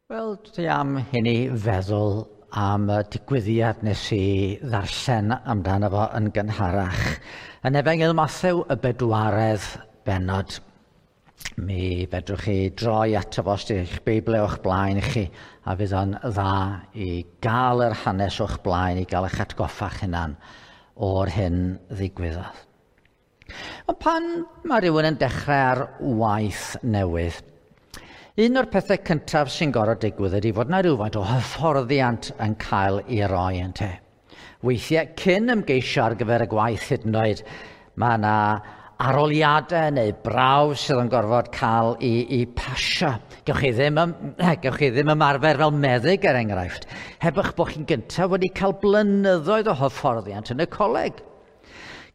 Wel, dwi am i ni feddwl am y digwyddiad nes i ddarllen amdano fo yn gynharach. Yn Efengyl Mathew y bedwaredd bennod. Mi fedrwch chi droi ato fo os ydych Beibl o'ch blaen chi, a fydd o'n dda i gael yr hanes o'ch blaen, i gael eich atgoffa'ch hunan o'r hyn ddigwyddodd. Ond pan mae rhywun yn dechrau ar waith newydd, un o'r pethau cyntaf sy'n gorfod digwydd ydy fod yna rhywfaint o hyfforddiant yn cael ei roi ynte. Weithiau, cyn ymgeisio ar gyfer y gwaith hyd yn oed, mae yna aroliadau neu brawf sydd yn gorfod cael ei pasio. Gewch chi ddim, gewch chi ddim ymarfer fel meddyg er enghraifft, heb eich bod chi'n gyntaf wedi cael blynyddoedd o hyfforddiant yn y coleg.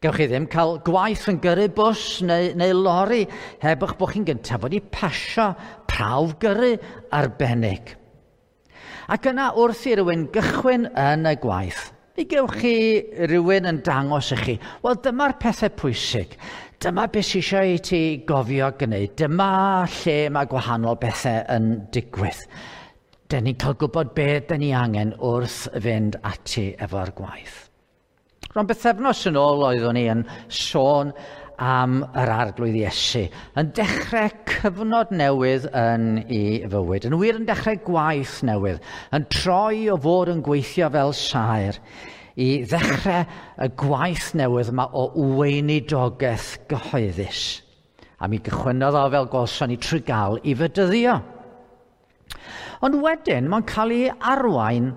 Gewch chi ddim cael gwaith yn gyrru bws neu lori heb eich bod chi'n gyntaf wedi pasio prawf gyrru arbennig. Ac yna wrth i rywun gychwyn yn y gwaith, mi gewch chi rywun yn dangos i chi, wel dyma'r pethau pwysig, dyma beth sydd eisiau i ti gofio gwneud, dyma lle mae gwahanol bethau yn digwydd. Dyn ni'n cael gwybod beth dyn ni angen wrth fynd ati efo'r gwaith. Rhan bythefnos yn ôl oeddwn i yn sôn am yr Arglwydd Iesu, yn dechrau cyfnod newydd yn ei fywyd, yn wir yn dechrau gwaith newydd, yn troi o fod yn gweithio fel saer i ddechrau y gwaith newydd yma o weinidogaeth gyhoeddus. A mi gychwynnodd o fel gwelson ni trwy gael ei fedyddio. Ond wedyn mae'n cael ei arwain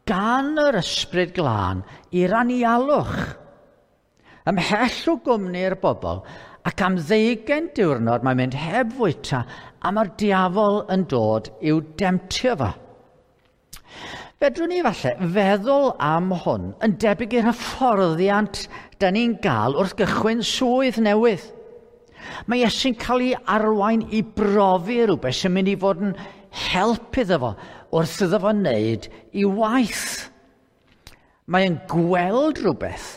gan yr Ysbryd Glân i'r anialwch. Ymhell o gwmni'r bobl, ac am 20 diwrnod mae'n mynd heb fwyta, a mae'r diafol yn dod i'w demtio fo. Fedrwn ni falle feddwl am hwn yn debyg i'r hyfforddiant da ni'n gael wrth gychwyn swydd newydd. Mae Iesu'n cael ei arwain i brofi rhywbeth sy'n mynd i fod yn help iddo fo wrth iddo fo wneud i waith. Mae'n gweld rhywbeth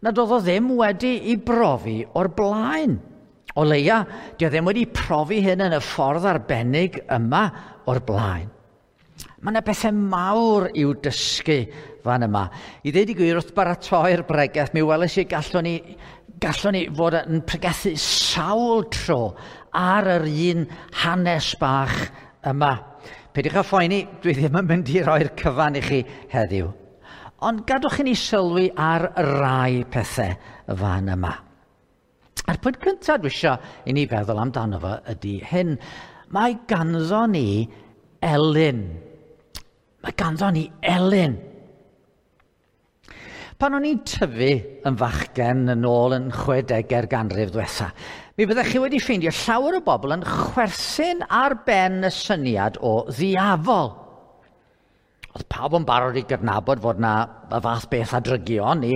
nad oedd o ddim wedi ei brofi o'r blaen. O leia, di o ddim wedi profi hyn yn y ffordd arbennig yma o'r blaen. Mae yna bethau mawr i'w dysgu fan yma. I ddeud i gwir, wrth baratoi'r bregeth, mi weles i gallwn ni fod yn pregethu sawl tro ar yr un hanes bach yma. Peidiwch â phoeni, dwi ddim yn mynd i roi'r cyfan i chi heddiw. Ond gadwch i ni sylwi ar rai pethau fan yma. A'r pwynt cyntaf dwi eisiau i ni feddwl amdano fo ydy hyn. Mae ganddo ni elyn. Mae ganddo ni elyn. Pan o'n i'n tyfu yn fachgen yn ôl yn 60au'r ganrif diwetha, mi fyddech chi wedi ffeindio llawer o bobl yn chwerthin ar ben y syniad o ddiafol. Oedd pawb yn barod i gydnabod fod na y fath beth a drygion ni,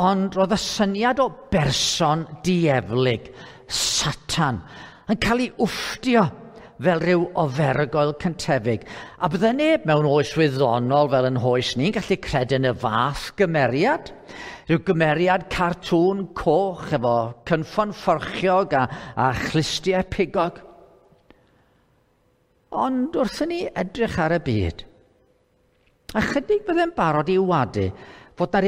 ond roedd y syniad o berson dieflig, Satan, yn cael ei wfftio fel rhyw ofergoel cyntefig. A bydde neb mewn oes wyddonol fel yn hoes ni'n gallu credu yn y fath gymeriad. Rhyw gymeriad cartŵn coch efo cynffon fforchiog a chlustiau pigog. Ond wrth i ni edrych ar y byd, ychydig byddai'n barod i wadu fod na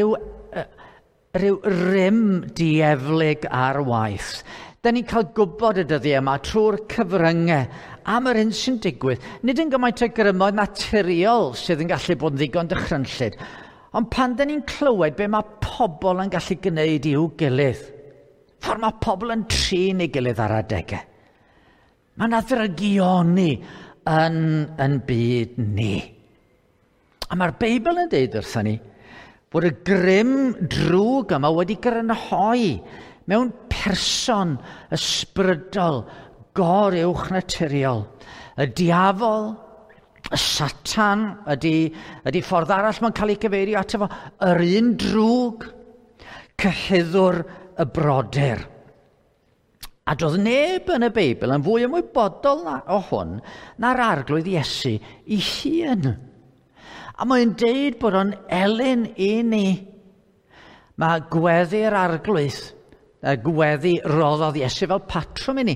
rhyw rym dieflig ar waith. Da ni'n cael gwybod y dyddiau yma trwy'r cyfryngau am yr hyn sy'n digwydd. Nid yn gymaint o grymoedd naturiol sydd yn gallu bod yn ddigon dychrynllyd, ond pan da ni'n clywed be mae pobl yn gallu gwneud i'w gilydd, ffordd mae pobl yn trin ei gilydd ar adegau. Mae yna ddrygioni yn byd ni. A mae'r Beibl yn deud wrthon ni bod y grym drwg yma wedi grynhoi mewn person ysbrydol goruwch naturiol. Y diafol, y Satan, ydy ffordd arall mae'n cael ei gyfeirio ato fo, yr un drwg, cyhuddwr y brodyr. A doedd neb yn y Beibl yn fwy ymwybodol o hwn na'r Arglwydd Iesu ei hun. A mae'n deud bod o'n elyn i ni. Mae gweddi'r Arglwydd, y gweddi roddodd Iesu fel patrwm i ni.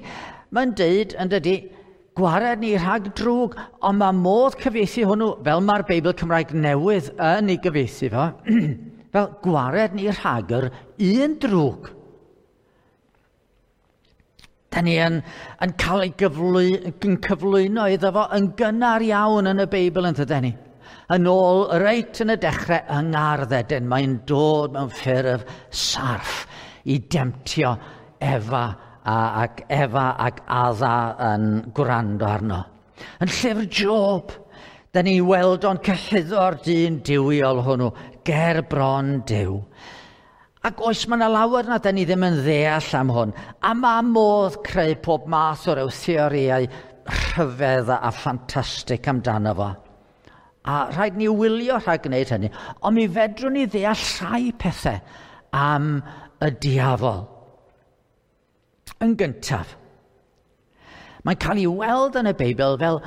Mae'n deud, yn dydy, Gwared ni rhag drwg, ond mae modd cyfieithu hwnnw, fel mae'r Beibl Cymraeg Newydd yn ei gyfieithu fo, fel gwared ni rhag yr un drwg. Da ni yn cael ei cyflwyno iddo fo yn gynnar iawn yn y Beibl, yn dydyn ni. Yn ôl reit yn y dechrau yng Ngardd Eden, mae'n dod mewn ffurf sarff i demtio Efa ac Efa ac Adda yn gwrando arno. Yn llyfr Job, da ni weld o'n cyhuddo'r dyn duwiol hwnnw ger bron Duw. Ac oes, mae yna lawer na da ni ddim yn ddeall am hwn. A mae modd creu pob math o ryw theorïau rhyfedd a ffantastig amdano fo. A rhaid ni wylio rhag gwneud hynny. Ond mi fedrwn ni ddeall rhai pethau am y diafol. Yn gyntaf, mae'n cael ei weld yn y Beibl fel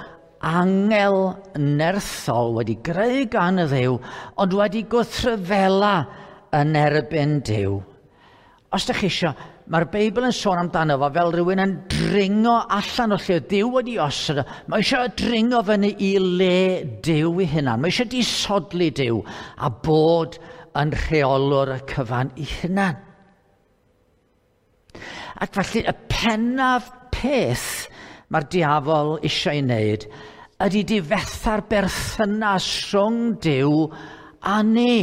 angel nerthol wedi greu gan y Dduw, ond wedi gwrthryfela yn erbyn Duw. Os ydych chi eisiau, mae'r Beibl yn sôn amdano fo fel rhywun yn dringo allan o lle Duw wedi osod. Mae eisiau dringo fyny i le Duw ei hunan. Mae eisiau disodli Duw a bod yn rheolwr y cyfan ei hunan. Ac felly y pennaf peth mae'r diafol eisiau ei wneud ydy difetha'r berthynas rhwng Duw a ni.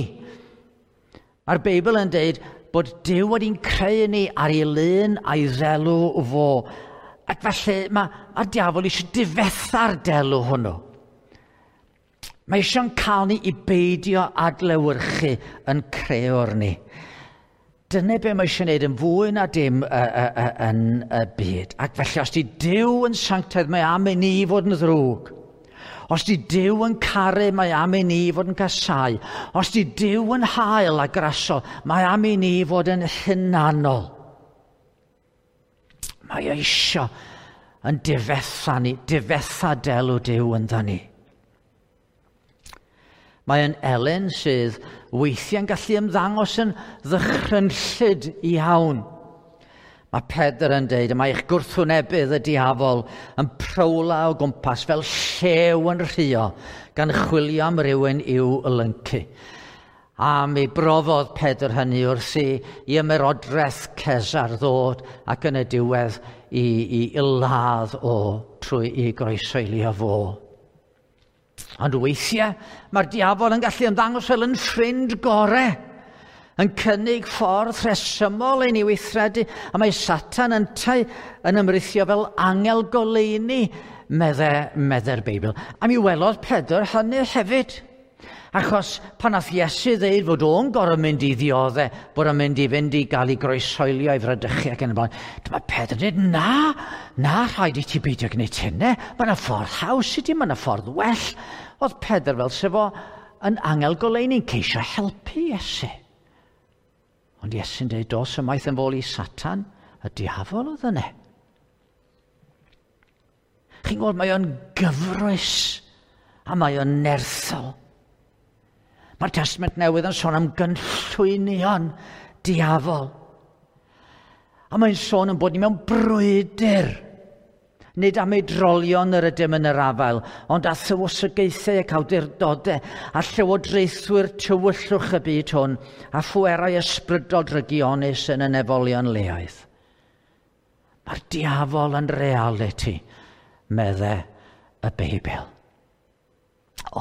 Mae'r Beibl yn dweud bod Duw wedi'n creu ni ar ei lun a'i ddelw fo. Ac felly mae'r diafol eisiau difetha'r delw hwnnw. Mae eisiau'n cael ni i beidio adlewyrchu yn creuwr ni. Dyna be mae eisiau gwneud yn fwy na dim yn y byd. Ac felly, os di Duw yn sanctaidd, mae am i ni fod yn ddrwg. Os di Duw yn caru, mae am i ni fod yn casau. Os di Duw yn hael a grasol, mae am i ni fod yn hunanol. Mae eisiau yn difetha ni, difetha delw Duw ynddo ni. Mae yn elyn sydd weithiau'n gallu ymddangos yn ddychrynllyd iawn. Mae Pedr yn dweud, mae eich gwrthwynebydd y diafol yn prowla o gwmpas fel llew yn rhuo, gan chwilio am rywun i'w lyncu. A mi brofodd Pedr hynny wrth i ymerodraeth Cesar ddod ac yn y diwedd i ladd o trwy i groesoelio fo. Ond weithiau, mae'r diafol yn gallu ymddangos fel yn ffrind gorau, yn cynnig ffordd rhesymol i ni weithredu, a mae Satan yntau yn ymrithio fel angel goleuni, medde'r Beibl. A mi welodd Pedr hynny hefyd. Achos pan nath Iesu ddeud fod o'n gorfod mynd i ddioddau, bod o'n mynd i fynd i gael ei groeshoelio i fradychu ac yn y blaen, dyma Pedr yn dweud, na, rhaid i ti beidio gwneud hynny. Mae yna ffordd haws i ti, mae yna ffordd well. Oedd Pedr fel sef o yn angel goleuni'n ceisio helpu Iesu. Ond Iesu'n dweud, dos ymaith yn fôl i Satan, y diafol oedd yna. Chi'n gweld, mae o'n gyfrwys a mae o'n nerthol. Mae'r Testament Newydd yn sôn am gynllwynion diafol. A mae'n sôn yn bod ni mewn brwydr. Nid am eidrolion yr ydym yn yr afael, ond a thywysogaethau ac awdurdodau, a llywodraethwyr tywyllwch y byd hwn, a phwerau ysbrydol drygionus yn y nefolion leoedd. Mae'r diafol yn realiti, medde y Beibl.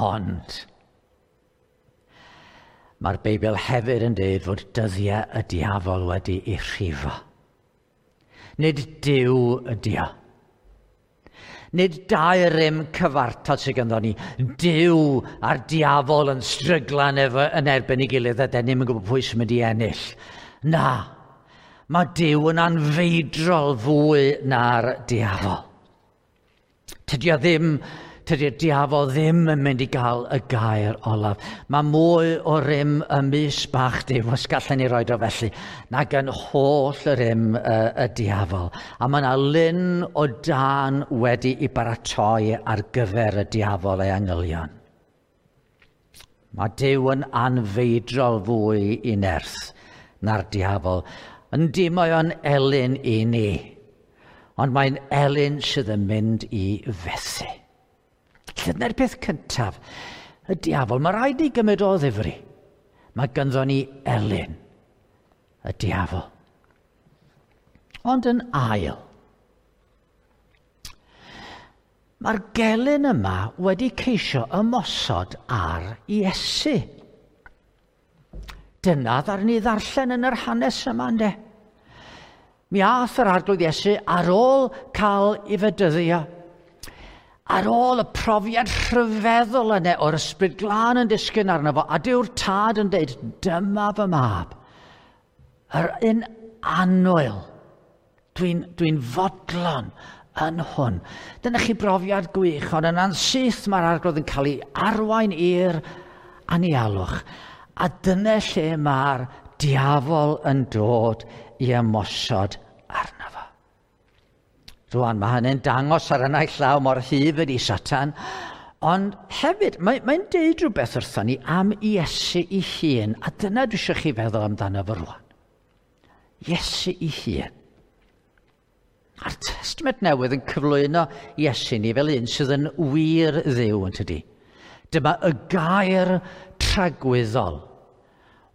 Ond mae'r Beibl hefyd yn dweud fod dyddiau y diafol wedi ei rhifo. Nid Duw ydi o. Nid dau rym cyfartal sydd ganddo ni. Duw a'r diafol yn stryglan yn erbyn ei gilydd a den ni'm yn gwybod pwy sy'n mynd i ennill. Na, mae Duw yn anfeidrol fwy na'r diafol. Tydi o ddim Tydi'r diafol ddim yn mynd i gael y gair olaf. Mae mwy o rym y mys bach Duw, os gallen ni roed o felly, nag yn holl y rym y diafol. A mae yna lyn o dân wedi i baratoi ar gyfer y diafol ei angylion. Mae Duw yn anfeidrol fwy i nerth na'r diafol. Yndi, mae o'n elyn i ni. Ond mae'n elyn sydd yn mynd i fethu. Dyna'r peth cyntaf. Y diafol, mae rhaid i gymryd o ddifri. Mae ganddo ni elyn, y diafol. Ond yn ail, mae'r gelyn yma wedi ceisio ymosod ar Iesu. Dyna ddaru ni ddarllen yn yr hanes yma, yndê? Mi ath yr Arglwydd Iesu ar ôl cael ei fedyddio, ar ôl y profiad rhyfeddol yna o'r Ysbryd Glân yn disgyn arno fo, a Duw'r Tad yn deud, dyma fy mab, yr un annwyl, dwi'n fodlon yn hwn. Dyna chi brofiad gwych, ond yna'n syth mae'r Arglwydd yn cael ei arwain i'r anialwch. A dyna lle mae'r diafol yn dod i ymosod arno fo. Rwan, mae hynny'n dangos ar y naill law mor hyf ydi Satan, ond hefyd, mae'n deud rhywbeth wrthon ni am Iesu ei hun, a dyna dwi eisiau chi feddwl amdano fo rwan. Iesu ei hun. A'r Testament Newydd yn cyflwyno Iesu ni fel un sydd yn wir Dduw, yn tydi. Dyma y gair tragwyddol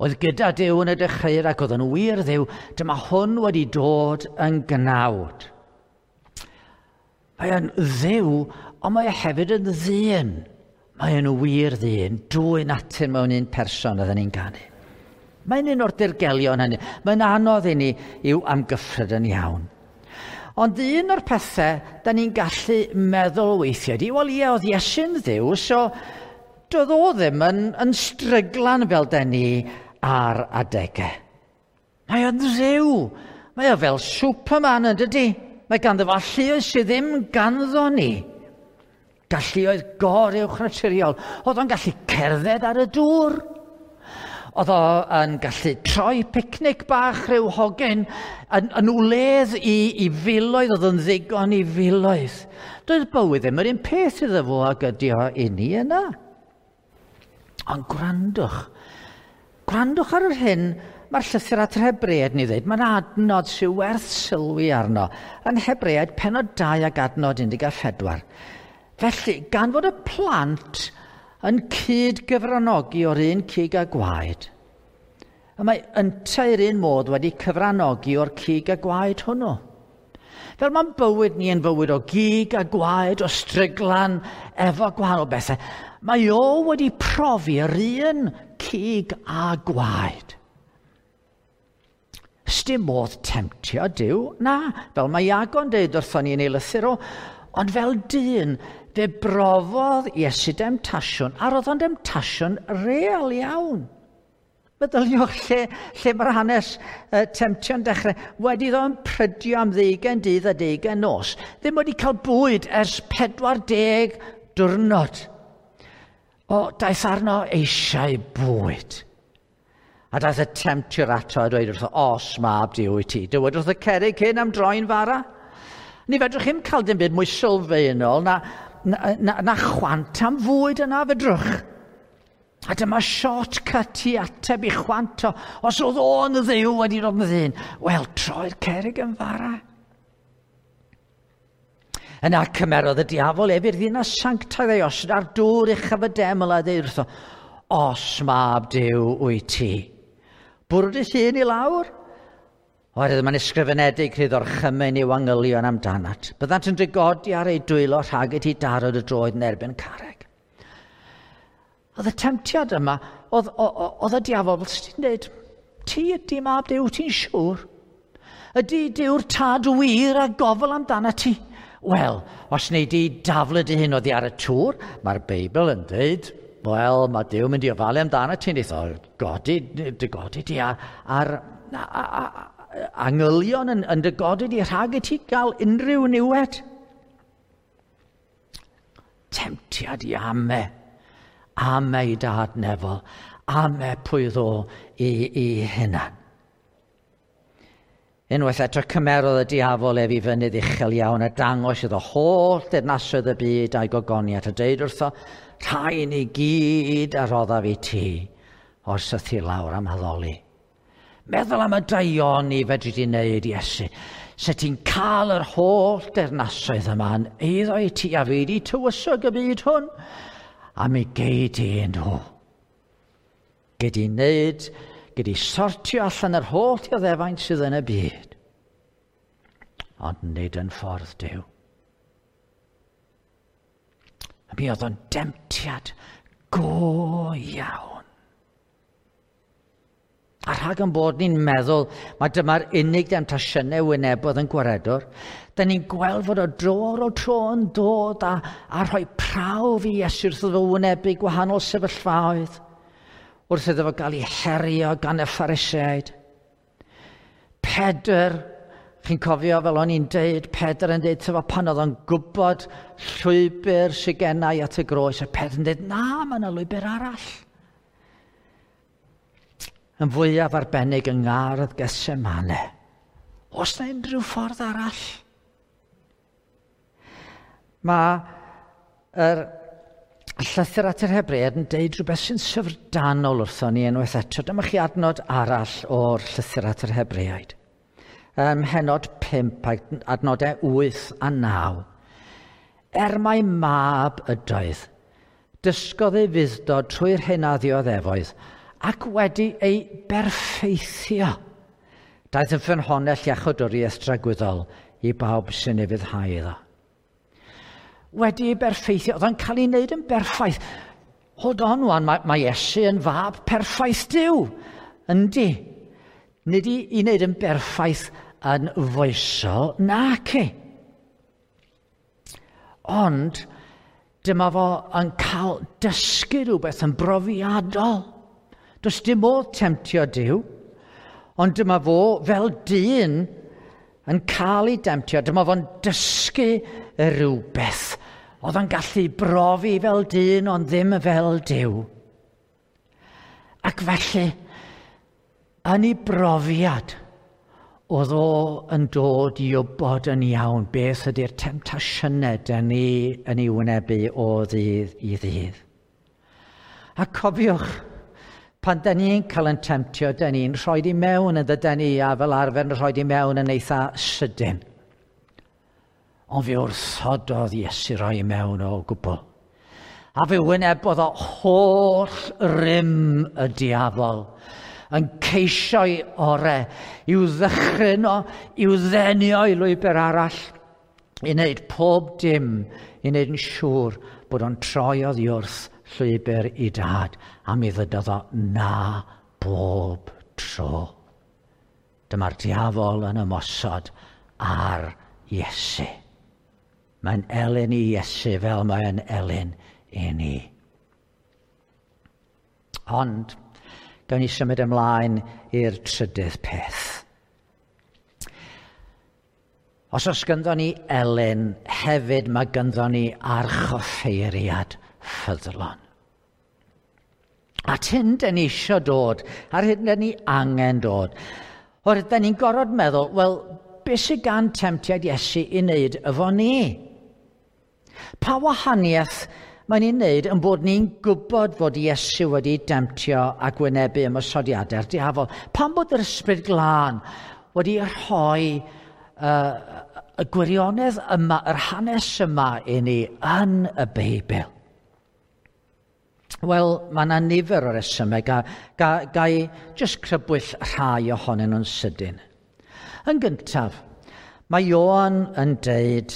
oedd gyda Duw yn y dechreuad ac oedd yn wir Dduw, dyma hwn wedi dod yn gnawd. Mae o'n Dduw, ond mae o hefyd yn ddyn. Mae o'n wir ddyn, dwy natur mewn un person oedden ni'n ganu. Mae'n un o'r dirgelion hynny. Mae'n anodd i ni i'w amgyffred yn iawn. Ond un o'r pethau da ni'n gallu meddwl weithiau ydi, wel ie, oedd Iesu'n Dduw, so doedd o ddim yn stryglan fel da ni ar adegau. Mae o'n Dduw. Mae o fel Superman yn dydi. Mae ganddo fo alluoedd sydd ddim ganddo ni. Galluoedd goruwchnaturiol. Oedd o'n gallu cerdded ar y dŵr. Oedd o'n gallu troi picnic bach rhyw hogyn yn wledd i filoedd, oedd o'n ddigon i filoedd. Doedd bywyd ddim yr un peth iddo fo ag ydi o i ni yna. Ond gwrandwch. Gwrandwch ar yr hyn mae'r llythyr at yr Hebreaid ni ddweud. Mae'n adnod sy'n werth sylwi arno. Yn Hebreaid, pennod 2 ac adnod 14. Felly, gan fod y plant yn cyd-gyfranogi o'r un cig a gwaed, y mae yntau'r un modd wedi cyfranogi o'r cig a gwaed hwnnw. Fel mae'n bywyd ni yn fywyd o gig a gwaed, o stryglan, efo gwahanol bethau, mae o wedi profi yr un cig a gwaed. Sdim modd temtio Duw, na, fel mae Iago'n deud wrthon ni yn ei lythyr o, ond fel dyn, fe brofodd Iesu demtasiwn, a roedd o'n demtasiwn real iawn. Meddyliwch lle mae'r hanes temtio'n dechrau. Wedi iddo yn prydio am 20 dydd a 20 nos. Ddim wedi cael bwyd ers 40 diwrnod. O, daeth arno eisiau bwyd. A daeth y temtiwr ato a dweud wrtho, os mab Duw wyt ti, dywed wrth y cerrig hyn am droi'n fara. Ni fedrwch chi'm cael dim byd mwy sylfaenol na chwant am fwyd yna fedrwch. A dyma shortcut i ateb i chwant o, os oedd o'n Dduw wedi dod yn ddyn, wel, troi'r cerrig yn fara. Yna cymerodd y diafol ef i'r ddinas sanctaidd ei osod ar dŵr uchaf y deml a ddeud wrtho, os mab Duw wyt ti, bwrw dy hun i lawr? Oherwydd mae'n ysgrifenedig rhydd orchymyn i'w angylion amdanat. Byddant yn dygodi ar ei dwylo rhag i ti daro dy droed yn erbyn carreg. Oedd y temtiad yma, oedd y diafol, fel ti'n dweud, ti ydy mab Duw, ti'n siŵr? Ydy Duw'r tad wir a gofal amdanat ti? Wel, os wnei di daflu dy hun oddi ar y tŵr, mae'r Beibl yn dweud, wel, mae Duw mynd i ofalu amdanat ti, wneith o godi, dy godi di ar angylion yn dy godi di rhag i ti gael unrhyw niwed. Temtiad i ame, ame i dad nefol, ame pwy ddo i hunan. Unwaith eto cymerodd y diafol ef i fynydd uchel iawn a dangos iddo holl deyrnasoedd y byd a'i gogoniant a deud wrtho, rhain i gyd a roddaf i ti, o'r sythu lawr am addoli. Meddwl am y daioni fedri di wneud, Iesu. Se ti'n cael yr holl dernasoedd yma yn eiddo i ti a fi di tywysog y byd hwn, a mi gei di nhw. Gei di wneud, gei di sortio allan yr holl dioddefaint sydd yn y byd. Ond nid yn ffordd Duw. A mi oedd o'n demtiad go iawn. A rhag yn bod ni'n meddwl mae dyma'r unig demtasiynau wynebodd yn gwaredwr, da ni'n gweld fod o dro ar ôl tro yn dod a, a rhoi prawf i Iesu wrth iddo fo wynebu gwahanol sefyllfaoedd, wrth iddo fo gael ei herio gan y Phariseaid. Pedr, chi'n cofio fel o'n i'n deud, Pedr yn deud tyfo pan oedd o'n gwybod llwybr sydd gennau at y groes, a Pedr yn deud, na, mae yna lwybr arall. Yn fwyaf arbennig yng ngardd Gethsemane. Oes na unrhyw ffordd arall? Mae yr llythyr at yr Hebreaid yn deud rhywbeth sy'n syfrdanol wrthon ni unwaith eto. Dyma chi adnod arall o'r llythyr at yr Hebreaid. Ym mhennod 5, adnodau 8 a 9. Er mai mab ydoedd, dysgodd ei fudd-dod trwy'r hyn a ddioddefoedd, ac wedi ei berffeithio. Daeth yn ffynhonnell iachawdwriaeth dragwyddol i bawb sy'n ufuddhau iddo. Wedi ei berffeithio, oedd o'n cael ei wneud yn berffaith. Hold on wan, mae, mae Iesu yn fab perffaith Duw. Yndi. Nid i, i wneud yn berffaith yn foesol, nac i. Ond dyma fo yn cael dysgu rhywbeth yn brofiadol. Does dim modd temtio Duw, ond dyma fo fel dyn yn cael ei demtio. Dyma fo'n dysgu rhywbeth. Oedd o'n gallu brofi fel dyn, ond ddim fel Duw. Ac felly, yn ei brofiad, oedd o yn dod i wybod yn iawn beth ydy'r temtasiynau dyn ni yn ei wynebu o ddydd i ddydd. A cofiwch, pan dyn ni'n cael yn temtio, dyn ni'n rhoi i mewn yn dydyn ni, a fel arfer yn rhoi i mewn yn eitha sydyn. Ond fe wrthododd Iesu roi i mewn o gwbl. A fe wynebodd o holl rym y diafol yn ceisio'i ore i'w ddychryn o, i'w ddenio i lwybr arall, i wneud pob dim, i wneud yn siŵr bod o'n troi oddi wrth llwybr i dad, a mi ddydodd o na bob tro. Dyma'r diafol yn ymosod ar Iesu. Mae'n elyn i Iesu fel mae'n elyn i ni. Ond, gawn ni symud ymlaen i'r trydydd peth. Os oes gynddon ni elyn, hefyd mae gynddon ni archoffeiriad ffyddlon. At hyn dyn ni eisiau dod, ar hyn dyn ni angen dod. Oherwydd dyn ni'n gorfod meddwl, wel, beth sydd gan temtiad Iesu i wneud efo ni? Pa wahaniaeth mae'n ei wneud yn bod ni'n gwybod fod Iesu wedi demtio ac wynebu ymosodiadau'r diafol? Pam bod yr Ysbryd Glân wedi rhoi y gwirionedd yma, yr hanes yma i ni yn y Beibl? Wel, mae yna nifer o resymau, ga, ga, ga i jyst crybwyll rhai ohonyn nhw'n sydyn. Yn gyntaf, mae Ioan yn deud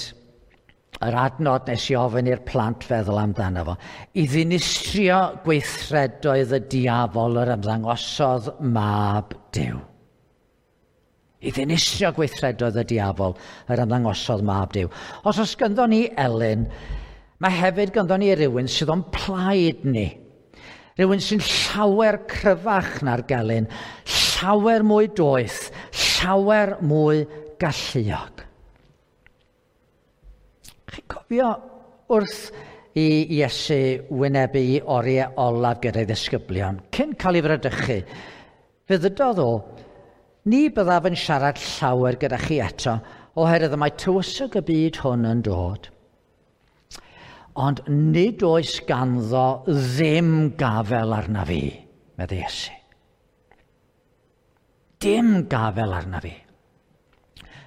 yr adnod nes i ofyn i'r plant feddwl amdano fo, i ddinistrio gweithredoedd y diafol yr ymddangosodd mab Duw. I ddinistrio gweithredoedd y diafol yr ymddangosodd mab Duw. Os oes gynddon ni elyn, mae hefyd gynddon ni rywun sydd o'n plaid ni. Rhywun sy'n llawer cryfach na'r gelyn, llawer mwy doeth, llawer mwy galluog. Chi'n cofio wrth i Iesu wynebu i oriau olaf gyda'i ddisgyblion, cyn cael ei fradychu, fe ddydodd o, ni byddaf yn siarad llawer gyda chi eto, oherwydd y mae tywysog y byd hwn yn dod. Ond nid oes ganddo ddim gafel arna fi, meddai Iesu. Dim gafel arna fi.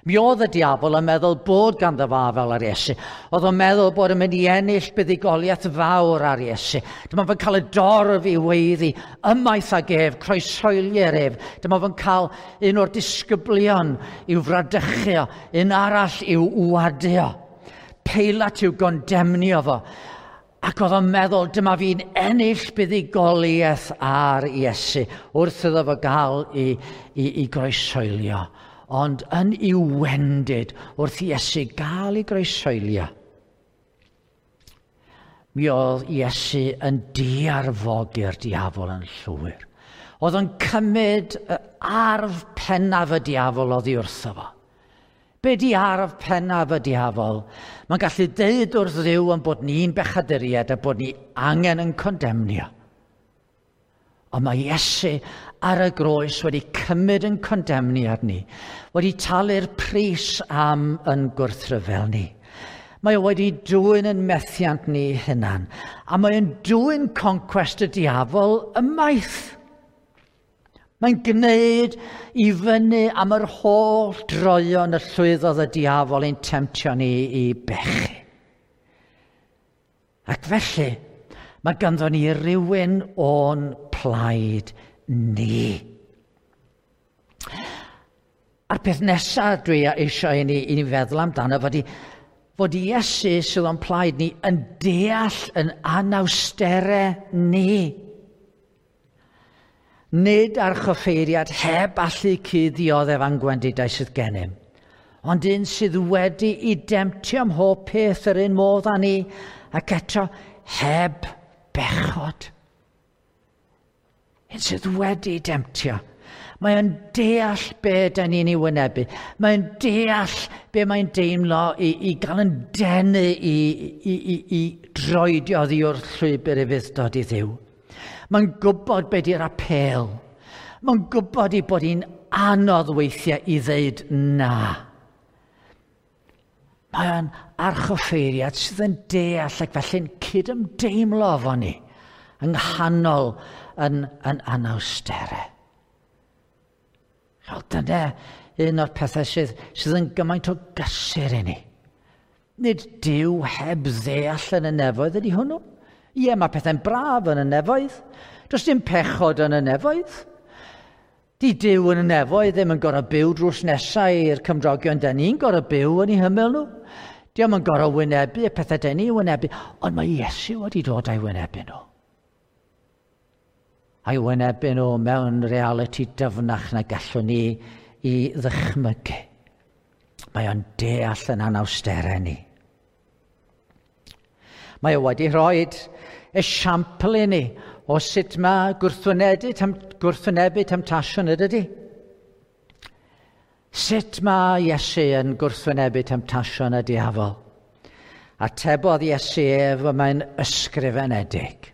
Mi oedd y diafol yn meddwl bod ganddo fo afel ar Iesu. Oedd o'n meddwl bod yn mynd i ennill buddugoliaeth fawr ar Iesu. Dyma fo'n cael y dorf i weiddi, ymaith ag ef, croeshoelier ef. Dyma fo'n cael un o'r disgyblion i'w fradychu o, un arall i'w wadio. Peilat i'w gondemnio fo. Ac oedd o'n meddwl, dyma fi'n ennill buddugoliaeth ar Iesu wrth iddo fo gael i groeshoelio. Ond yn i'w wendid wrth Iesu gael ei groeshoelio, mi oedd Iesu yn diarfogi'r diafol yn llwyr. Oedd o'n cymryd arf pennaf y diafol oddi wrtho fo. Be di arf pennaf y diafol? Mae'n gallu deud wrth Dduw yn bod ni'n bechaduriaid a bod ni angen yn condemnio. Ond mae Iesu ar y groes wedi cymryd yn condemniad ni, wedi talu'r pris am yn gwrthryfel ni. Mae o wedi dwyn yn methiant ni hunan, a mae o'n dwyn concwest y diafol ymaith. Mae'n gwneud i fyny am yr holl droion y llwyddodd y diafol ein temtio ni i bechu. Ac felly, mae ganddo ni rywun o'n plaid ni. A'r peth nesaf dwi eisiau i ni feddwl amdano fod Iesu sydd o'n plaid ni yn deall yn anawsterau ni. Nid archoffeiriad heb allu cyd-ddioddef a'n gwendidau sydd gennym, ond un sydd wedi i demtio ym mhob peth yr un modd â ni, ac eto heb bechod. Un sydd wedi demtio. Mae o'n deall be da ni'n ei wynebu. Mae o'n deall be mae'n deimlo i gael yn denu i droedio oddi wrth llwybr ufudd-dod i Dduw. Mae'n gwybod be di'r apêl. Mae'n gwybod ei bod hi'n anodd weithiau i ddeud na. Mae o'n archoffeiriad sydd yn deall ac felly'n cydymdeimlo efo ni yng nghanol yn anawsterau. Wel, dyna un o'r pethau sydd yn gymaint o gysur i ni. Nid Duw heb ddeall yn y nefoedd ydy hwnnw. Ie, mae pethau'n braf yn y nefoedd. Does dim pechod yn y nefoedd. Di Duw yn y nefoedd ddim yn gorfod byw drws nesau i'r cymdogion da ni'n gorfod byw yn eu hymyl nhw. Dio'm yn gorfod wynebu y pethau da ni'n wynebu, ond mae Iesu wedi dod a'i wynebu nhw. A'i wynebu nhw mewn realiti dyfnach na gallwn ni i ddychmygu. Mae o'n deall yn anawsterau ni. Mae o wedi rhoi esiampl i ni o sut mae gwrthwynebu temtasiwn ydy. Sut mae Iesu yn gwrthwynebu temtasiwn y diafol? Atebodd Iesu ef, y mae'n ysgrifenedig.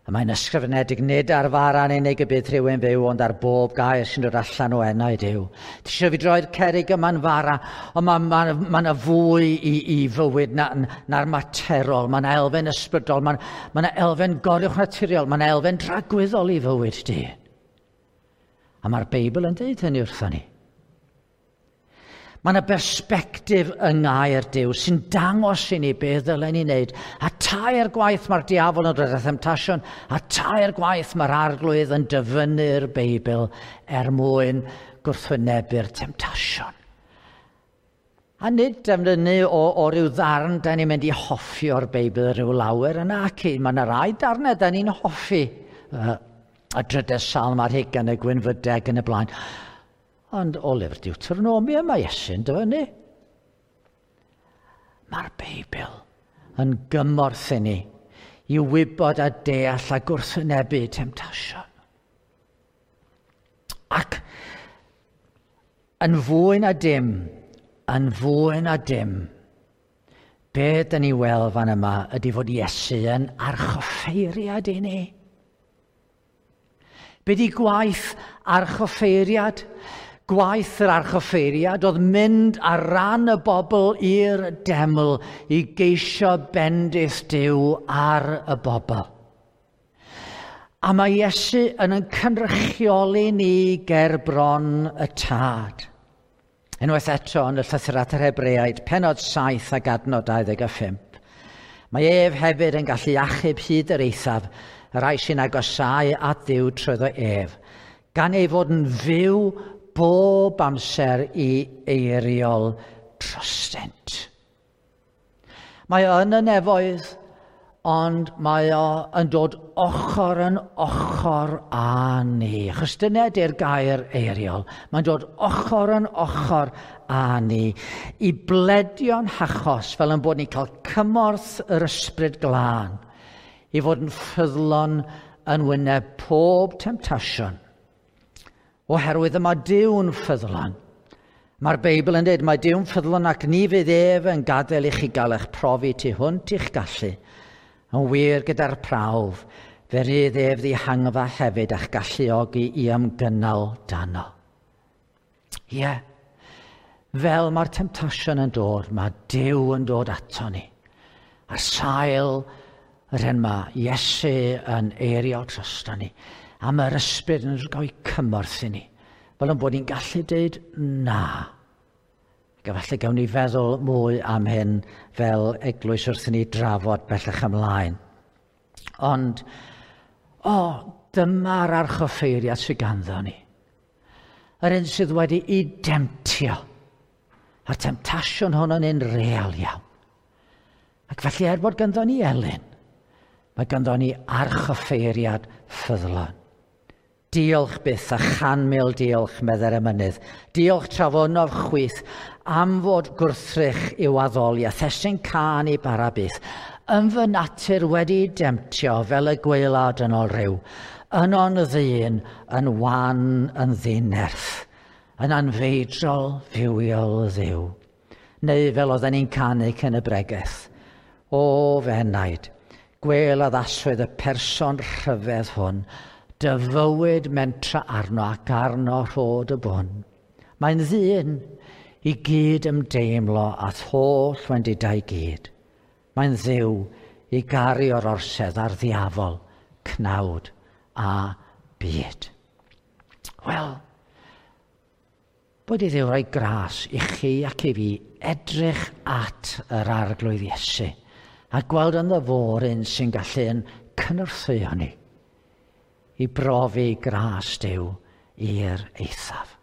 Y mae'n ysgrifenedig nid ar fara'n unig y bydd rhywun fyw, ond ar bob gair sy'n dod allan o enau Duw. Ti eisiau fi droi'r cerrig yma'n fara, ond mae yna fwy i fywyd na'r materol. Mae yna elfen ysbrydol, mae yna elfen goruwchnaturiol, mae yna elfen dragwyddol i fywyd dyn. A mae'r Beibl yn dweud hynny wrthon ni. Mae yna bersbectif yng ngair Duw sy'n dangos i ni beth ddylen ni wneud. A tair gwaith mae'r diafol yn dod â themtasiwn, a tair gwaith mae'r arglwydd yn dyfynnu'r Beibl er mwyn gwrthwynebu'r temtasiwn. A nid defnyddu o ryw ddarn da ni'n mynd i hoffi o'r Beibl rhyw lawer yna ac mae yna rai darnau da ni'n hoffi. Y drydedd salm ar hugain, y gwynfydeg yn y blaen. Ond o lyfr Deuteronomia mae Iesu'n dyfynnu. Mae'r Beibl yn gymorth i ni i wybod a deall a gwrthwynebu temtasiwn. Ac yn fwy na dim, be dyn ni weld fan yma ydy fod Iesu yn archoffeiriad i ni. Be di gwaith archoffeiriad? Gwaith yr archoffeiriad oedd mynd ar ran y bobl i'r deml i geisio bendith Duw ar y bobl. A mae Iesu yn cynrychioli ni ger bron y Tad. Unwaith eto yn y llythyr at yr Hebreaid, pennod 7 ac adnod 25. Mae ef hefyd yn gallu achub hyd yr eithaf, y rhai sy'n agosáu at Dduw trwyddo ef, gan ei fod yn fyw bob amser i eiriol drostynt. Mae o yn y nefoedd, ond mae o yn dod ochr yn ochr â ni. Achos dyna ydy'r gair eiriol. Mae'n dod ochr yn ochr â ni i bledio'n hachos fel yn bod ni'n cael cymorth yr Ysbryd Glân i fod yn ffyddlon yn wyneb pob temtasiwn. Oherwydd y mae Duw'n ffyddlon. Mae'r Beibl yn dweud, mae Duw'n ffyddlon ac ni fydd ef yn gadael i chi gael eich profi tu hwnt i'ch gallu. Yn wir gyda'r prawf, fe rydd ef ddihangfa hefyd a'ch galluogi i ymgynnal dano. Ie, yeah. Fel mae'r temtasiwn yn dod, mae Duw yn dod ato ni. Ar sail yr hyn mae Iesu yn eirio drosto ni, a mae'r ysbryd yn rhoi cymorth i ni, fel yn bod ni'n gallu dweud na. Ac efallai gawn ni feddwl mwy am hyn fel eglwys wrth i ni drafod bellach ymlaen. Ond, o, dyma'r archoffeiriad sydd ganddo ni. Yr un sydd wedi ei demtio. A'r temtasiwn hwn yn un real iawn. Ac felly er bod ganddo ni elyn, mae ganddo ni archoffeiriad ffyddlon. Diolch byth a 100,000 diolch, meddai'r emynydd. Diolch trafonof chwith am fod gwrthrych i'w addoli a thestun cân i bara byth. Yn fy natur wedi demtio fel y gwaelod yn ôl rhyw. Yno'n ddyn, yn wan, yn ddinerth, yn anfeidrol fywiol Dduw. Neu fel oedden ni'n canu cyn y bregeth. O fy enaid, gwel addaswyd y person rhyfedd hwn, dy fywyd mentra arno ac arno rhod y bwn. Mae'n ddyn i gyd ymdeimlo at holl wendidau gyd. Mae'n Dduw i garu o'r orsedd a'r ddiafol, cnawd a byd. Wel, bod i Dduw roi gras i chi ac i fi edrych at yr Arglwydd Iesu a gweld ynddo fo'r un sy'n gallu yn cynorthwyo ni i brofi gras Duw i'r eithaf.